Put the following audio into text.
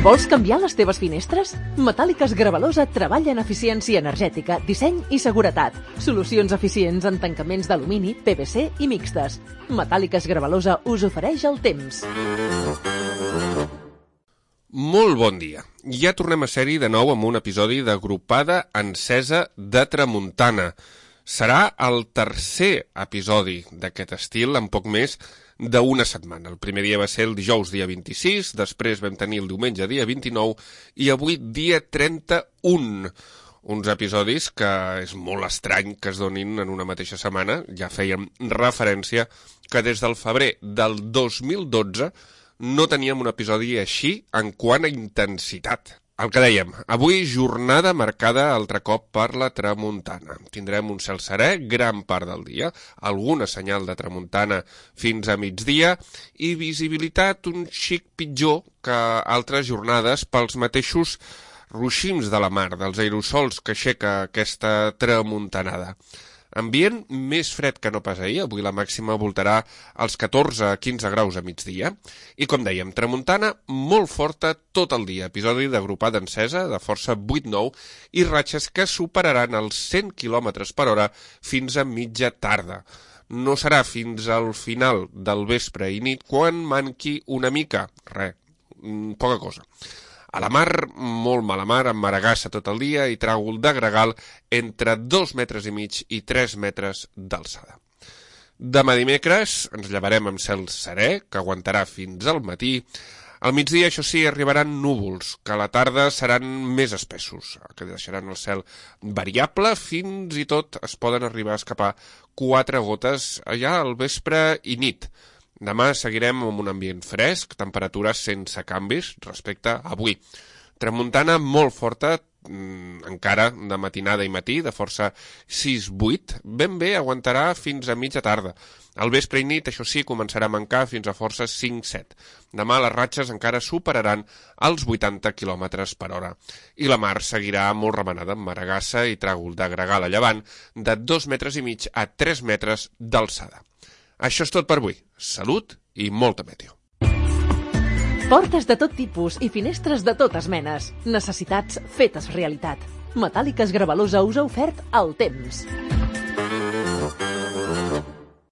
Vols canviar les teves finestres? Metàl·liques Gravalosa treballa en eficiència energètica, disseny i seguretat. Solucions eficients en tancaments d'alumini, PVC i mixtes. Metàl·liques Gravalosa us ofereix el temps. Molt bon dia. Ja tornem a ser-hi de nou amb un episodi d'Agrupada Encesa de Tramuntana. Serà el tercer episodi d'aquest estil en poc més d'una setmana. El primer dia va ser el dijous, dia 26, després vam tenir el diumenge, dia 29, i avui, dia 31. Uns episodis que és molt estrany que es donin en una mateixa setmana. Ja fèiem referència que des del febrer del 2012 no teníem un episodi així en quant a intensitat. El que dèiem, avui jornada marcada altre cop per la tramuntana. Tindrem un cel serè gran part del dia, alguna senyal de tramuntana fins a migdia i visibilitat un xic pitjor que altres jornades pels mateixos ruixims de la mar, dels aerosols que aixeca aquesta tramuntanada. Ambient més fred que no pas ahir, avui la màxima voltarà als 14 a 15 graus a migdia. I com dèiem, tramuntana molt forta tot el dia, episodi d'Agrupada Encesa de força 8-9 i ratxes que superaran els 100 km per hora fins a mitja tarda. No serà fins al final del vespre i nit quan manqui una mica, poca cosa. A la mar, molt mala mar, amb maragassa tot el dia i tràgol de gregal entre 2,5 metres i 3 metres d'alçada. Demà dimecres ens llevarem amb cel serè, que aguantarà fins al matí. Al migdia, això sí, arribaran núvols, que a la tarda seran més espessos, que deixaran el cel variable, fins i tot es poden arribar a escapar 4 gotes allà al vespre i nit. Demà seguirem amb un ambient fresc, temperatures sense canvis respecte a avui. Tramuntana molt forta, encara de matinada i matí, de força 6-8, ben bé aguantarà fins a mitja tarda. Al vespre i nit, això sí, començarà a mancar fins a força 5-7. Demà les ratxes encara superaran els 80 km per hora. I la mar seguirà molt remenada amb maragassa i tràgol de gregal a llevant de 2,5 metres a 3 metres d'alçada. Això és tot per avui. Salut i molta meteo. Portes de tot tipus i finestres de totes menes. Necessitats fetes realitat. Metàl·liques Gravalosa us ha ofert el temps.